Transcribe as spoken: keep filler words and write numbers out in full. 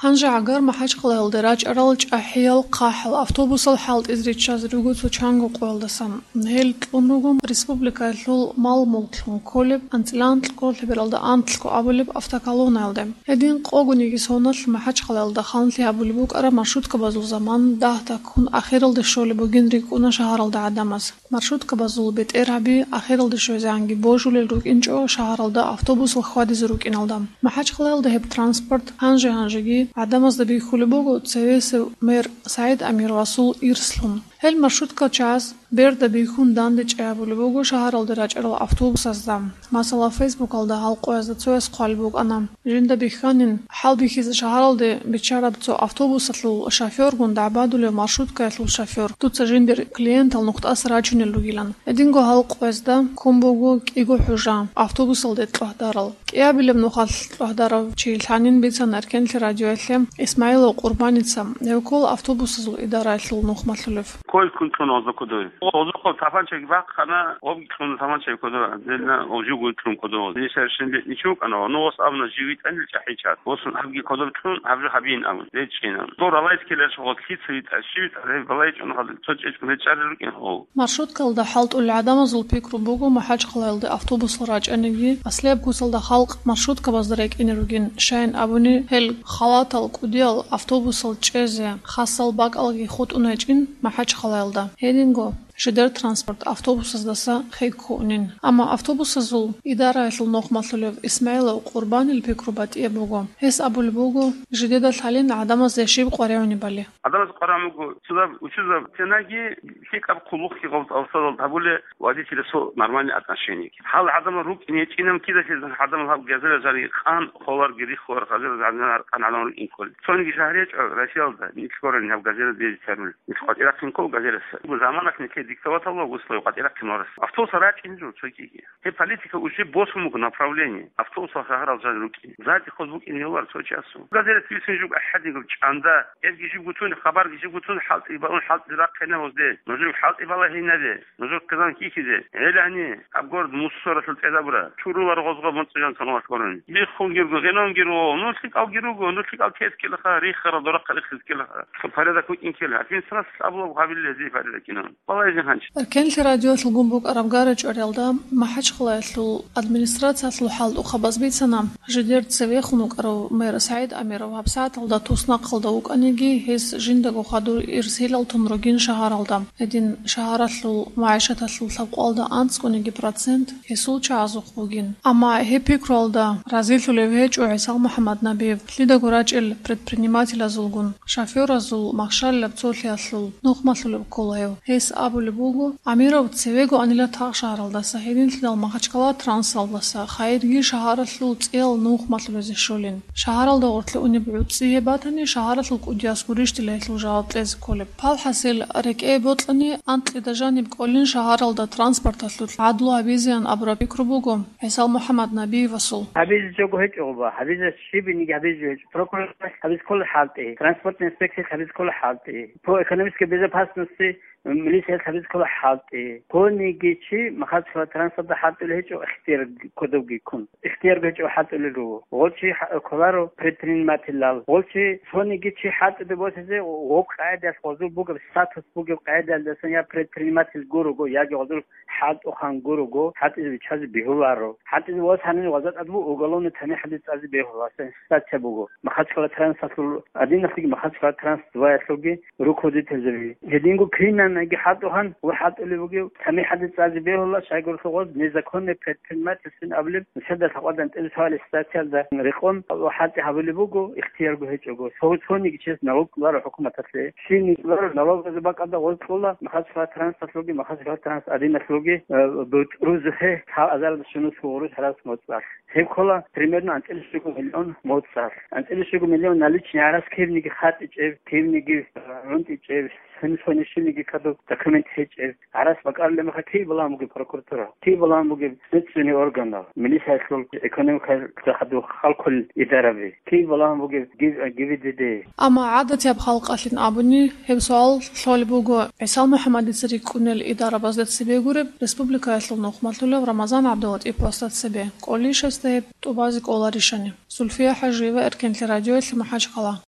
Гьанже гӀагар МахӀачхъалаялде рачӀарал чӀахӀиял хъахӀал автобусал хӀалтӀизе риччазе руго цо чанго къоялдасан. Гьел кьун руго республикаялъул мал-мулклъун кколеб анцӀила анкьго лъебералда анкьго абулеб автоколоннаялде. Гьедин къогониги соналъ МахӀачхъалаялда ханлъи гьабулеб букӀараб маршруткабазул заман дагь-дагьккун ахиралде щолеб бугин рикӀкӀуна шагьаралда гӀадамаз. Маршруткабазул бетӀергьаби ахиралде щвезегӀанги божулел рукӀинчӀо шагьаралда автобусал хьвадизе рукӀиналда. МахӀачхъалаялда гьеб транспорт гьанже-гьанжеги гӀадамазда бихьулеб буго цевесев мэр СагӀид Амировасул ирслъун. Гьел маршруткал чагӀаз берда бихьун дандечӀей гьабулеб буго шагьаралде рачӀарал автобусазда. Масала, Фейсбукалда гьал къоязда цояс хъвалеб букӀана: «Жинда бихьанин, хӀалбихьизе шагьаралде биччараб цо автобусалъул шофёргун дагӀбадулев маршруткаялъул шофёр. Дуца жиндир клиентал нухтӀаса рачунел ругилан». Гьединго гьал къоязда ккун буго кӀиго хӀужа автобусалде кьвагьдарал. КӀиабилеб нухалъ кьвагьдарав чи лъанин бицана Эркенлъи радиоялъе Исмаилов Къурбаница, гьев ккола автобусазул идараялъул нухмалъулев. Кой ккун кьуна гъозда кодове. Гъозухъа тапанчаги бахъана, обги кьуна тапанчаги кодове. Дедна обжугу кьун кодове. Дин шаршин бетни чукана, ну гъос абна живитанил чахичат. Гъосун абги кодов кьун, абжу хабин абун. Дечина. Дора лайт келеш гъос лъица витӀа, щивитӀа, гьеб балай чӀун хадур, цо чӀечӀун гьечӀарил рукӀин гъов. Маршруткалда хӀалтӀулел гӀадамазул пикру буго, МахӀачхъалаялде автобусал рачӀаниги, аслияб куцалда халкъ маршруткабазда рекӀине ругин, щайин абуни, гьел халатал кӀудиял автобусал чӀезе хасал бакӀалги хутӀун гьечӀин МахӀачхъалаялда. Гьединго, жидер транспорт автобусаздаса хӀеккуунин. Амма автобусазул идараялъул нухмалъулев Исмаилов Къурбанил пикру батӀияб буго. Гьес абулеб буго, жидеда лъалин гӀадамаз яшиб къваригӀунебали. Адамас къваригӀун буго, цо доб учузаб тенаги лъикӀаб хъулухъги гъов-, гъовсадал гьабуле, водителасул нормальный отношениеги. Гьал гӀадамал рукӀине гьечӀинан кидалъизан гӀадамал гьаб газира жанги къан холарги риххулар, газира жанги къан гӀадамал рукӀин кколел. Цониги шагьар гьечӀо Россиялда, нилъ гьорани гьаб газира дезги тярули. Нилъ къватӀирахъин ккол газираса. Заманахъ нилъее диктоватал ва гуслой къватӀирахъин варас. Автобусал рачӀин жо цогиги. Гьеб политика уже босун буго направление. Автобусал шагьарал жан рукӀин. Зайти хъоз букӀин гьелар цо часу. Газета висин жуг ахӀадигаб чӀанда. Эбги жиб гутун, хабарги жиб гутун, хӀалтӀи балун, хӀалтӀи рахъина гьозде. Нужер хӀалтӀи балагьинаде, нужер хъизан кихьизе. ГӀелани, аб город мусоралъул цӀедабура. Чурулар гъозго муцӀижан саналъ гурун. Биххун гирго, гъенон гирго, ну лъикӀал гируго, ну лъикӀал тескилаха, риххара дорахъа риххискилаха. Порядок вукӀин ккела. Администрация абулаб гьабилли гьезие порядок инан. Балагьизе гьанч. Эркенлъи радиоялъулгун букӀараб гара-чӀвариялда МахӀачхъалаялъул администрациялъул хӀалтӀухъабаз бицана, жидер цевехун вукӀарав мэр СагӀид Амиров гьабсагӀаталда туснахъалда вукӀаниги, гьес жиндаго хадур ирсилал тун ругин шагьаралда. Гьедин шагьаралъул магӀишаталъул лъабкъоялда анцӀгониги процент гьесул чагӀазухъ бугин. Амма гьеб пикруялда разилъулев гьечӀо ГӀисал МухӀаммад Набиев, лъидаго рачӀел предпринимателазулгун. Шофёразул махщалилаб цолъиялъул нухмалъулеб ккола гьев. Гьес абулеб буго, Амиров цевего анила тагъ шагьаралдаса, гьединлъидал Махачкала трансалдаса, хайирги шагьаралъул цӀиял нухмалъулезе щолин. Шагьаралда гъоркье унеб гӀуцӀи гьеб батани, шагьаралъул кӀудияс гурищ дила гьелъул жаваб кьезе кколеб. Палхасел рекӀее бокьани, анкьида жаниб кӀолин шагьаралда транспорталъулъ гӀадлу гьабизеян абураб пикру буго ГӀисал МухӀаммад Набиевасул. Гьабизе жого гьечӀо гъоба, гьабизе щибиниги гьабизе жо гьечӀо. Прокурор гьабизе ккола хӀалтӀи, транспортный инспекциялъ гьабизе ккола хӀалтӀи, по экономической безопасности милициялъ гьабизе ккола хӀалтӀи. Цониги чи Махачкала трансалда хӀалтӀулев гьечӀо ихтияр кодобги ккун. Ихтияр гьечӀо хӀалтӀулел руго. Гъол чи хӀа-, кколаро предпринимателал. Гъол чи цониги чи хӀалтӀиде босизе гъоб къагӀидаялъ гъозул бугеб статус бугеб къагӀидаялдасан я предприниматель гурого, яги гъозул хӀалтӀухъан гурого, хӀалтӀизе виччазе бегьуларо. ХӀалтӀизе вос гьанив гъаза тӀад буго уголовный тамихӀалде цӀазе бегьула, статья буго. Махачкала трансалъул адиналъги, Махачкала транс дваялъулги руководительзаби. Гьединго кинанаги хӀалтӀухъан ва хӀалтӀулев вугев тамихӀалде цӀазе бегьула, щайгурелъул гъоз незаконный предпринимательсин абулеб, нилъеда лъакъвадан тӀиб суалеб статьялда рекъон ва хӀалтӀи гьабулеб буго, ихтиярго гьечӀого. Цо-, цониги чияс налог кьоларо хӀукуматалъе. Щиб кьоларо налогазул бакӀалда гъоз кьола, Махачкала трансалъулги, Махачкала транс адиналъулги, э, бутӀрузухъе цо азарда щунус гъурущ гьарас моцӀалъ. Гьеб ккола примерно анцӀила щуго миллион моцӀалъ. АнцӀила щуго миллион наличный гьарас кибниги хатӀичӀеб, кибниги, э, гӀунтӀичӀеб, сунес-гьанив щибниги кадуб документ гьечӀеб. Гьарас бакӀарулеб мехалъ киб балагьун бугеб прокуратура, киб балагьун бугеб следственный органал, милициялъул, экономикалъул хадуб халкъул идараби, киб балагьун бугеб ГИБДД. Амма гӀадатияб халкъалъин абуни, гьеб суал лъолеб буго ГӀисал МухӀаммадица рикӀкӀунел идарабазда цебе гуреб, республикаялъул нухмалъулев Рамазан ГӀабдулатӀиповасда цебе, кӀолищ гьесда гьеб тӀубазе кӀоларищани. Зульфия ХӀажиева, Эркенлъи радиоялъе, МахӀачкъала.